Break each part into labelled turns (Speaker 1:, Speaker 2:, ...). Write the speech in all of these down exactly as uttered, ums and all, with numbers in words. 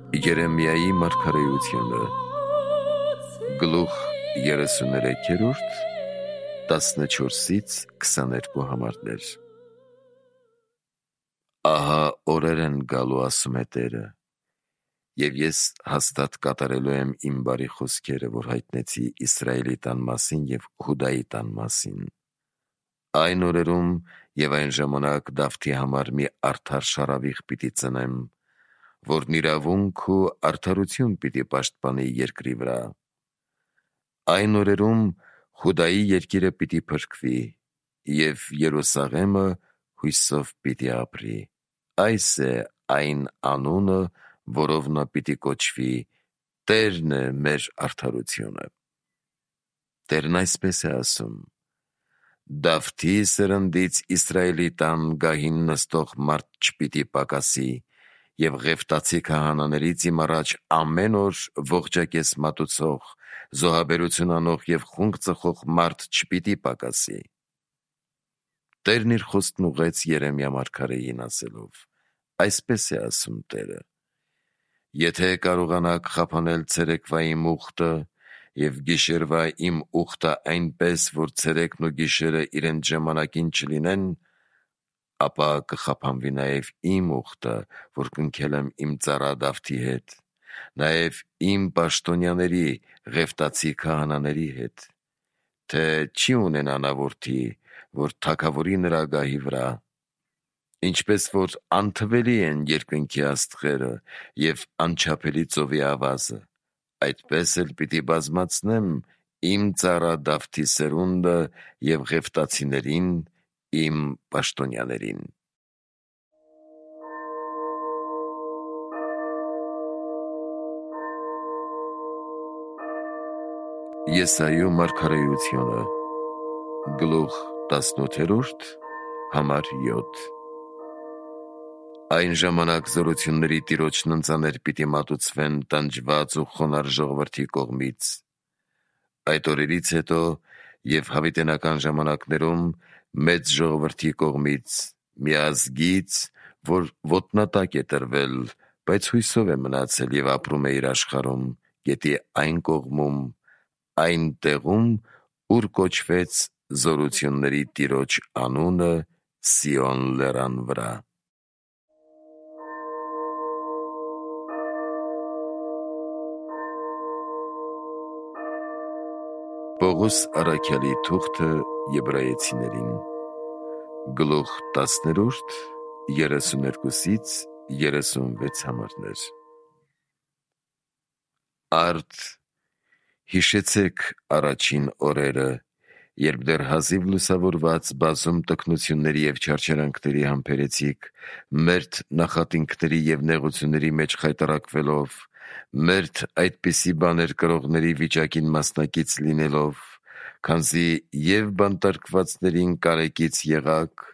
Speaker 1: Երեմիայի մարգարեությունը գլուխ երեսուներեքերորդ տասնչորսից քսաներկու համարներ։ Ահա օրեր են գալու, ասում է Տերը, և ես հաստատ կատարելու եմ իմ բարի խոսքերը, որ հայտնեցի Իսրայելի տան մասին և Հուդայի տան մասին։ Այն օրերում և այն ժամանակ Դավթի համար մի արդար շարավիղ պիտի ծնեմ, որն իրավունք ու արդարություն պիտի պաշտպանի երկրի վրա։ Այն օրերում Հուդայի երկիրը պիտի փրկվի, և Երուսաղեմը հույսով պիտի ապրի։ Այս է այն անունը, որով նա պիտի կոչվի. Տերն է մեր արդարությունը։ Տերն այսպես է ասում. Դավթի սերնդից Իսրայելի տան գահին նստող մարդ չպիտի պակասի, և Ղևտացի քահանաներից իմ առաջ ամեն օր ողջակեզ մատուցող, զոհաբերություն անող և խունկ ծխող մարդ չպիտի պակասի։ Տերն իր խոսքն ուղղեց Երեմիա մարգարեին ասելով. Այսպես է ասում Տերը. եթե կարողանաք խափանել ցերեկվա իմ ուխտը և գիշերվա իմ ուխտը այնպես, որ ցերեկն ու գիշերը իրենց ժամանակին չլինեն, ապա կխափանվի նաև իմ ուխտը, որ կնքել եմ իմ ծառա Դավթի հետ, նաև իմ պաշտոնյաների Ղևտացի քահանաների հետ, թե չի ունենա նա որդի, որ թագավորի նրա գահի վրա։ Ինչպես որ անթվելի են երկնքի աստղերը և անչափելի ծովի ավազը, այդպես էլ պիտի բազմացնեմ իմ ծառա Դավթի սերունդը և Ղևտացիներին իմ պաշտոնյաներին։ Եսայու մարգարեությունը գլուխ տասնութերորդ համար յոթ Այն ժամանակ զորությունների Տիրոջն ընծաներ պիտի մատուցվեն տանջված ու խոնարհ ժողովրդի կողմից։ Այդ օրերից հետո և հավիտենական ժամանակներում մեծ ժողովրդի կողմից, մի ազգից, որ ոտնատակ է տրվել, բայց հույսով է մնացել և ապրում է իր աշխարհում, գետի այն կողմում, այն տեղում, ուր կոչվեց զորությունների Տիրոջ անունը Սիոն լեռան վրա։ Պողոս առաքյալի թուղթը Եբրայեցիներին գլուխ տասներորդ երեսուներկուսից երեսունվեց համարներ։ Արդ հիշեցեք առաջին օրերը, երբ դեռ հազիվ լուսավորված բազում տքնությունների և չարչարանքների համբերեցիք, մերթ նախատինքների և նեղությունների մեջ խայտառակվելով, մերթ այդպիսի բաներ կրողների վիճակին մասնակից լինելով, քանզի և բանտարկվածներին կարեկից եղաք,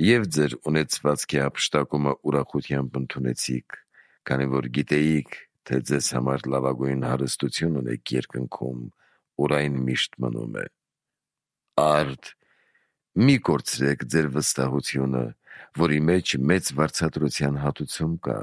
Speaker 1: և ձեր ունեցվածքի հափշտակումը ուրախությամբ ընդունեցիք, քանի որ գիտեիք, թե ձեզ համար լավագույն հարստություն ունեք երկնքում, ուր այն միշտ մնում է։ Արդ մի կորցրեք ձեր վստահությունը, որի մեջ մեծ վարձատրության հատուցում կա,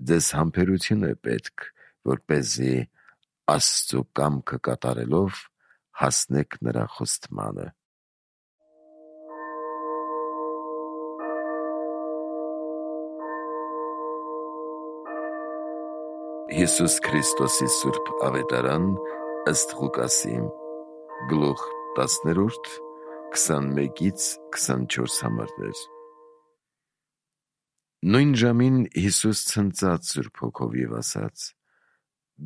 Speaker 1: ձեզ համբերություն է պետք, որպեսզի Աստծու կամքը կատարելով հասնեք նրա խոստմանը։ Հիսուս Քրիստոսի սուրբ ավետարան ըստ Ղուկասի գլուխ տասներորդ քսանմեկից քսանչորս համարներ։ Նույն ժամին Հիսուս ցնծաց Սուրբ Հոգով և ասաց.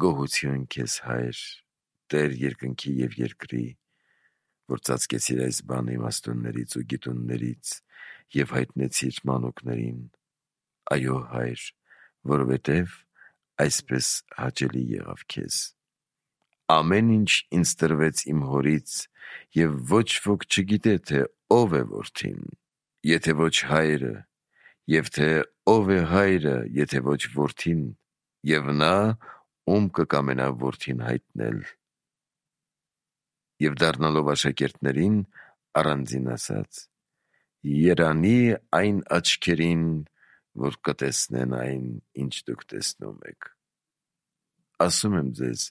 Speaker 1: Գոհություն քեզ, Հայր, Տեր երկնքի և երկրի, որ ծածկեցիր այս բանը իմաստուններից ու գիտուններից և հայտնեցիր մանուկներին։ Այո, Հայր, որովհետև այսպես հաճելի եղավ քեզ։ Ամեն ինչ ինձ տրվեց իմ Հորից, և ոչ ոք չգիտե, թե ով է Որդին, եթե ոչ Հայրը, և թե ով է Հայրը, եթե ոչ Որդին, և նա, ում կկամենա Որդին հայտնել։ Եվ դառնալով աշակերտներին, առանձին ասաց. Երանի այն աչքերին, որ կտեսնեն այն, ինչ դուք տեսնում եք։ ասում եմ ձեզ,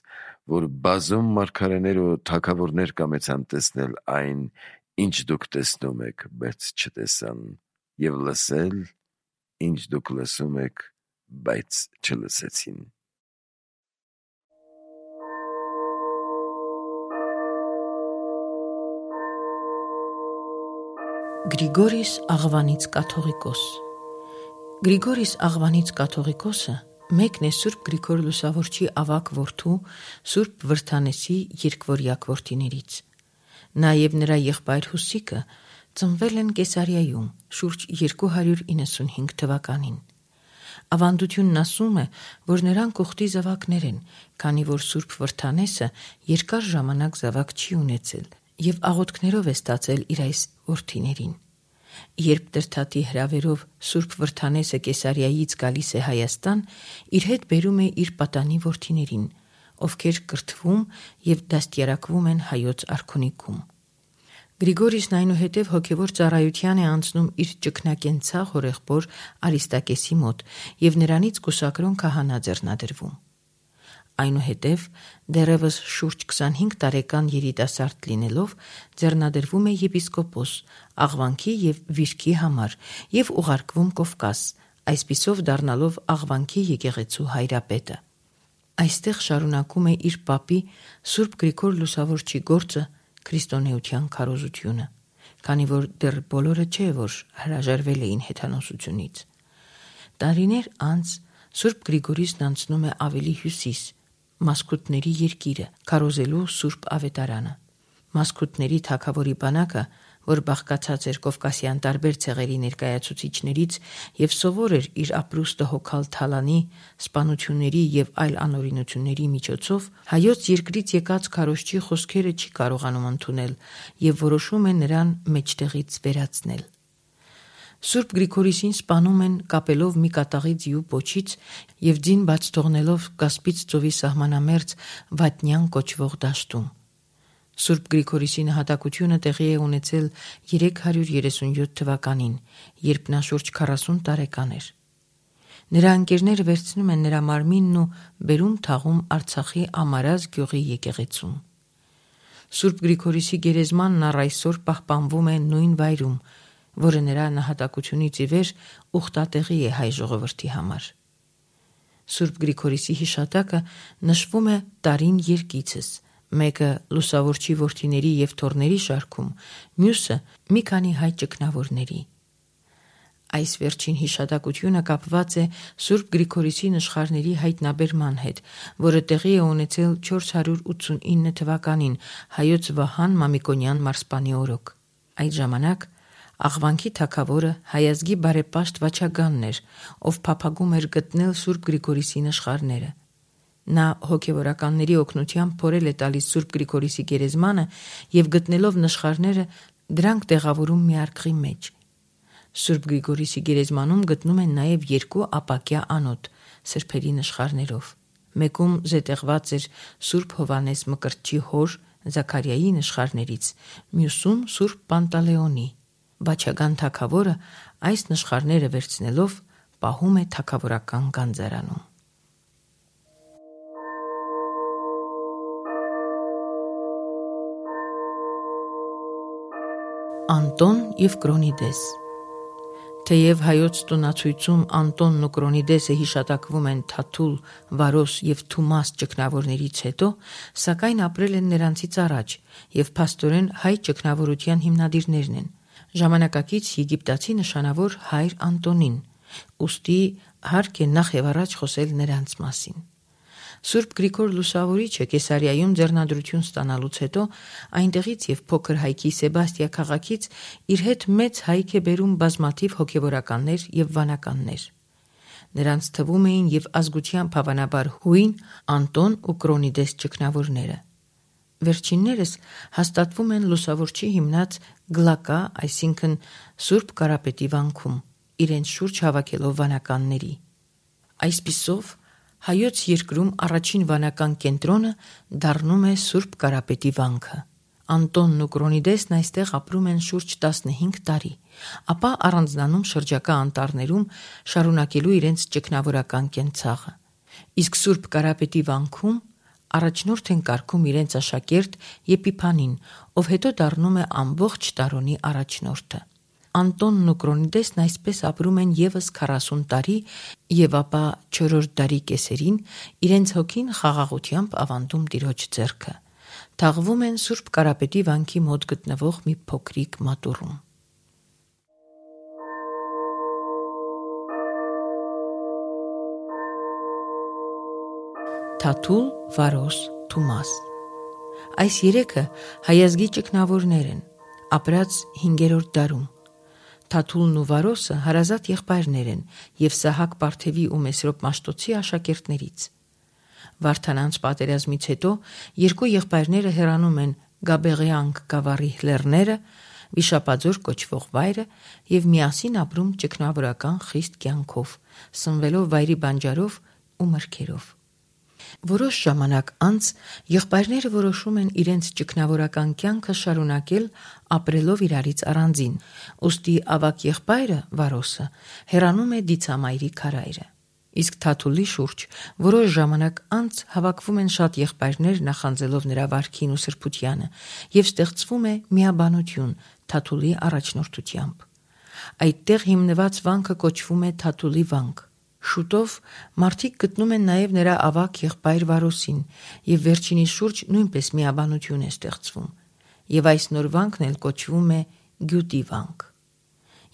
Speaker 1: որ բազում մարգարեներ ու թագավորներ կամեցան տեսնել այն, ինչ դուք տեսնում եք, բայց չտեսան, եւ լսել, ինչ դուք լսում եք, բայց չլսեցին։
Speaker 2: Գրիգորիս Աղվանից կաթողիկոս Գրիգորիս Աղվանից կաթողիկոսը մեկն է Սուրբ Գրիգոր Լուսավորչի ավագ որդու Սուրբ Վրդանեսի երկվորյակ որդիներից։ Նա եւ նրա եղբայր Հուսիկը ծնվել են Կեսարիայում շուրջ երկու հարյուր իննսունհինգ թվականին։ Ավանդությունն ասում է, որ նրանք ուխտի զավակներ են, քանի որ Սուրբ Վրդանեսը երկար ժամանակ զավակ չի ունեցել եւ աղոթքներով է ստացել իր այս որդիներին։ Երբ Տրդատի հրավերով Սուրբ Վրդանեսը Կեսարիայից գալիս է Հայաստան, իր հետ բերում է իր պատանի որդիներին, ովքեր կրթվում եւ դաստիարակվում են հայոց արքունիքում։ Գրիգորիսն այնուհետև հոգևոր ծառայության է անցնում իր ճգնակենցաղ հորեղբոր Արիստակեսի մոտ եւ նրանից կուսակրոն քահանա ձեռնադրվում։ Այնուհետև դեռևս շուրջ քսանհինգ տարեկան երիտասարդ լինելով ձեռնադրվում է եպիսկոպոս Աղվանքի եւ Վիրքի համար եւ ուղարկվում Կովկաս, այսպիսով դառնալով Աղվանքի եկեղեցու հայրապետը։ Այստեղ շարունակում է իր պապի Սուրբ Գրիգոր Լուսավորչի գործը քրիստոնեության քարոզությունը, քանի որ դեռ բոլորը չէ, որ հրաժարվել էին հեթանոսությունից։ Տարիներ անց Սուրբ Գրիգորիսն անցնում է ավելի հյուսիս, Մասկուտների երկիրը, քարոզելու Սուրբ Ավետարանը։ Մասկուտների թագավորի բանակը, որ բաղկացած էր կովկասյան տարբեր ցեղերի ներկայացուցիչներից եւ սովոր էր իր ապրուստը հոգալ թալանի, սպանությունների եւ այլ անօրինությունների միջոցով, հայոց երկրից եկած քարոզչի խոսքերը չի կարողանում ընդունել եւ որոշում է նրան մեջտեղից վերացնել։ Սուրբ Գրիգորիսին սպանում են կապելով մի կատաղի ձիու պոչից եւ ձին բաց թողնելով Կասպից ծովի սահմանամերձ Վատնյան կոչվող դաշտում։ Սուրբ Գրիգորիսի նահատակությունը տեղի է ունեցել երեք հարյուր երեսունյոթ թվականին, երբ նա շուրջ քառասուն տարեկան էր։ Նրա ընկերները վերցնում են նրա մարմինն ու բերում թաղում Արցախի Ամարազ գյուղի եկեղեցում։ Սուրբ Գրիգորիսի գերեզմանն առ այսօր պահպանվում է նույն վայրում, որը նրա նահատակությունից ի վեր ուխտատեղի է հայ ժողովրդի համար։ Սուրբ Գրիգորիսի հիշատակը նշվում է տարին երկիցս, մեկը Լուսավորչի որդիների եւ թոռների շարքում, մյուսը մի քանի հայ ճգնավորների։ Այս վերջին հիշատակությունը կապված է Սուրբ Գրիգորիսի նշխարների հայտնաբերման հետ, որը տեղի է ունեցել չորս հարյուր ութսունինը թվականին հայոց Վահան Մամիկոնյան մարսպանի օրոք։ Այդ ժամանակ Աղվանքի թագավորը հայազգի բարեպաշտ Վաչագանն էր, ով փափագում էր գտնել Սուրբ Գրիգորիսի նշխարները։ Նա հոգևորականների օգնությամբ փորել է տալիս Սուրբ Գրիգորիսի գերեզմանը եւ գտնելով նշխարները դրանք տեղավորում մի արկղի մեջ։ Սուրբ Գրիգորիսի գերեզմանում գտնում են նաեւ երկու ապակյա անոթ սրբերի նշխարներով։ Մեկում զետեղված էր Սուրբ Հովանես Մկրտչի հոր Զաքարիայի նշխարներից, մյուսում Սուրբ Պանտալեոնի։ Վաչագան թագավորը այս նշխարները վերցնելով պահում է թագավորական գանձարանում։ Անտոն եւ Կրոնիդես Թեև հայոց տոնացույցում Անտոնն ու Կրոնիդեսը հիշատակվում են Թաթուլ, Վարոս եւ Թումաս ճգնավորներից հետո, սակայն ապրել են նրանցից առաջ եւ փաստորեն հայ ճգնավորության հիմնադիրներն են, ժամանակակից եգիպտացի նշանավոր հայր Անտոնին, ուստի հարկ է նախ եւ առաջ խոսել նրանց մասին։ Սուրբ Գրիգոր Լուսավորիչը Կեսարիայում ձեռնադրություն ստանալուց հետո այնտեղից եւ փոքր հայքի Սեբաստիա քաղաքից իր հետ մեծ հայք է բերում բազմաթիվ հոգևորականներ եւ վանականներ։ Նրանց թվում էին եւ ազգությամբ հավանաբար հույն Անտոն ու Կրոնիդես ճգնավորները։ Վերջիններս հաստատվում են Լուսավորչի հիմնած Գլակա, այսինքն Սուրբ Կարապետի վանքում, իրենց շուրջ հավաքելով վանականների։ Այսպիսով հայոց երկրում առաջին վանական կենտրոնը դառնում է Սուրբ Կարապետի վանքը։ Անտոնն ու Կրոնիդեսն այստեղ ապրում են շուրջ տասնհինգ տարի, ապա առանձնանում շրջակա անտառներում շարունակելու իրենց ճգնավորական կենցաղը։ Իսկ Սուրբ Կարապետի վանքում առաջնորդ են կարգում իրենց աշակերտ Եփիփանին, ով հետո դառնում է ամբողջ տարոնի առաջնորդը։ Անտոնն ու Կրոնիդեսն այսպես ապրում են եւս քառասուն տարի եւ ապա չորրորդ դարի կեսերին իրենց հոգին խաղաղությամբ ավանդում Տիրոջ ձեռքը։ Թաղվում են Սուրբ Կարապետի վանքի մոտ գտնվող մի փոքրիկ մատուռում։ Թաթուլ, Վարոս, Թումաս։ Այս երեքը հայազգի ճգնավորներ են, ապրած հինգերորդ դարում։ Թաթուլն ու Վարոսը հարազատ եղբայրներ են եւ Սահակ Պարթևի ու Մեսրոպ Մաշտոցի աշակերտներից։ Վարդանանց պատերազմից հետո երկու եղբայրները հեռանում են Գաբեղեանք գավառի լեռները, Վիշապաձոր կոչվող վայրը եւ միասին ապրում ճգնավորական խիստ կյանքով, սնվելով վայրի բանջարով ու մրգերով։ Որոշ ժամանակ անց եղբայրները որոշում են իրենց ճգնավորական կյանքը շարունակել ապրելով իրարից առանձին, ուստի ավագ եղբայրը Վարոսը հեռանում է դիցամայրի քարայրը։ Իսկ Թաթուլի շուրջ որոշ ժամանակ անց հավաքվում են շատ եղբայրներ նախանձելով նրա վարքին ու սրբությանը եւ ստեղծվում է միաբանություն Թաթուլի առաջնորդությամբ։ Այդտեղ հիմնված վանքը կոչվում է Թաթուլի վանք։ Շուտով մարդիկ գտնում են նաև նրա ավագ եղբայր Վարոսին եւ վերջինի շուրջ նույնպես միաբանություն է ստեղծվում եւ այս նոր վանքն էլ կոչվում է Գյուտի վանք։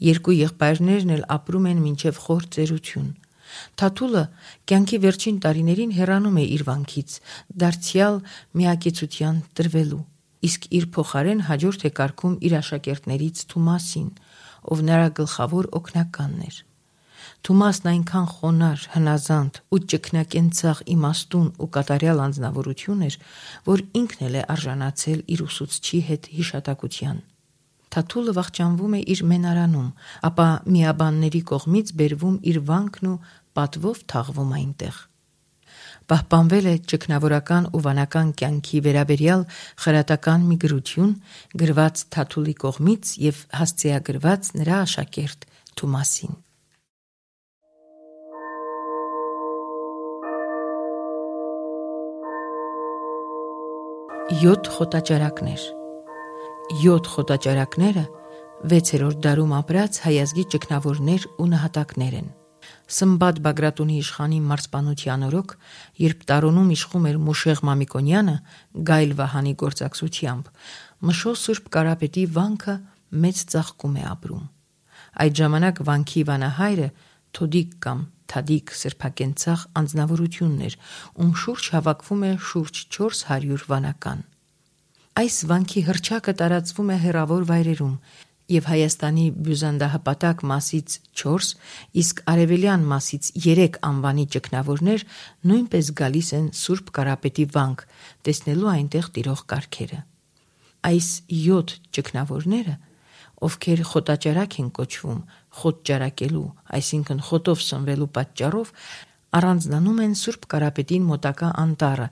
Speaker 2: Երկու եղբայրներն էլ ապրում են մինչև խոր ծերություն։ Թաթուլը կյանքի վերջին տարիներին հեռանում է իր վանքից, դարձյալ միակեցության տրվելու, իսկ իր փոխարեն հաջորդ է կարգում իր աշակերտներից Թումասին, ով նրա գլխավոր օգնականն էր։ Թումասն այնքան խոնար, հնազանդ ու ճգնակենցաղ իմաստուն ու կատարյալ անձնավորություն էր, որ ինքն էլ է արժանացել իր ուսուցչի հետ հիշատակության։ Թաթուլը վախճանվում է իր մենարանում, ապա միաբանների կողմից բերվում իր վանքն ու պատվով թաղվում այնտեղ։ Պահպանվել է ճգնավորական ու վանական կյանքի վերաբերյալ խրատական մի գրություն, գրված Թաթուլի կողմից եւ հասցեագրված նրա աշակերտ Թումասին։ Յոթ խոտաճարակներ։ Յոթ խոտաճարակները վեցերորդ դարում ապրած հայազգի ճգնավորներ ու նահատակներ են։ Սմբատ Բագրատունի իշխանի մարզպանության օրոք, երբ տարոնում իշխում էր Մուշեղ Մամիկոնյանը Գայլ Վահանի գործակցությամբ, Մշո Սուրբ Կարապետի վանքը մեծ ծաղկում է ապրում։ Այդ ժամանակ վանքի վանահայրը Թոդիկ կամ Թադիկ սրբակենցաղ անձնավորությունն էր, ում շուրջ հավաքվում է շուրջ չորս հարյուր վանական։ Այս վանքի հռչակը տարածվում է հեռավոր վայրերում եւ Հայաստանի բյուզանդահպատակ մասից չորս, իսկ արևելյան մասից երեք անվանի ճգնավորներ նույնպես գալիս են Սուրբ Կարապետի վանք, տեսնելու այնտեղ տիրող կարգերը։ Այս յոթ ճգնավորները, ովքեր խոտաճարակ են կոչվում, խոտ ճարակելու, այսինքն խոտով սնվելու պատճառով, առանձնանում են Սուրբ Կարապետին մոտակա անտառը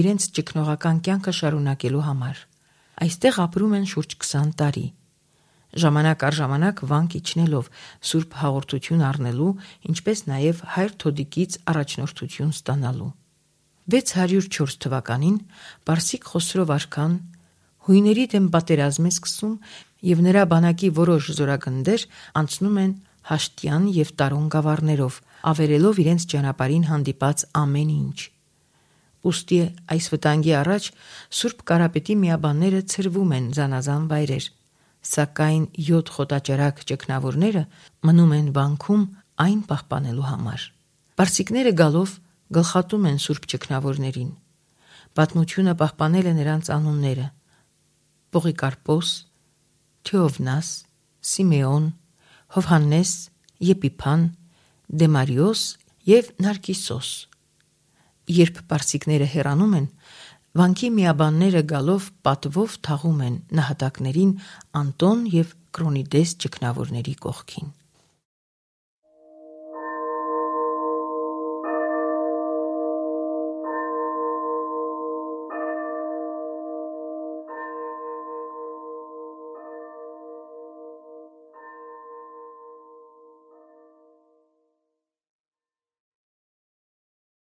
Speaker 2: իրենց ճգնողական կյանքը շարունակելու համար։ Այստեղ ապրում են շուրջ քսան տարի։ Ժամանակ առ ժամանակ վանք իջնելով Սուրբ հաղորդություն առնելու, ինչպես նաև հայր Թոդիկից առաջնորդություն ստանալու։ վեց հարյուր չորս թվականին Պարսիկ Խոսրով արքան հույների դեմ պատերազմ է սկսում եւ նրա բանակի որոշ զորագնդեր անցնում են Հաշտյան եւ Տարոն գավառներով, ավերելով իրենց ճանապարհին հանդիպած ամեն ինչ։ Ուստի այս վտանգի առաջ Սուրբ Կարապետի միաբանները ցրվում են զանազան վայրեր, սակայն յոթ խոտաճարակ ճգնավորները մնում են վանքում այն պահպանելու համար։ Պարսիկները գալով գլխատում են Սուրբ ճգնավորներին։ Պատմությունը պահպանել է նրանց անունները՝ Պողիկարպոս, Թեովնաս, Սիմեոն, Հովհաննես, Եփիփան, Դեմարիոս եւ Նարկիսոս։ Երբ պարսիկները հեռանում են, վանքի միաբանները գալով պատվով թաղում են նահատակներին Անտոն եւ Կրոնիդես ճգնավորների կողքին։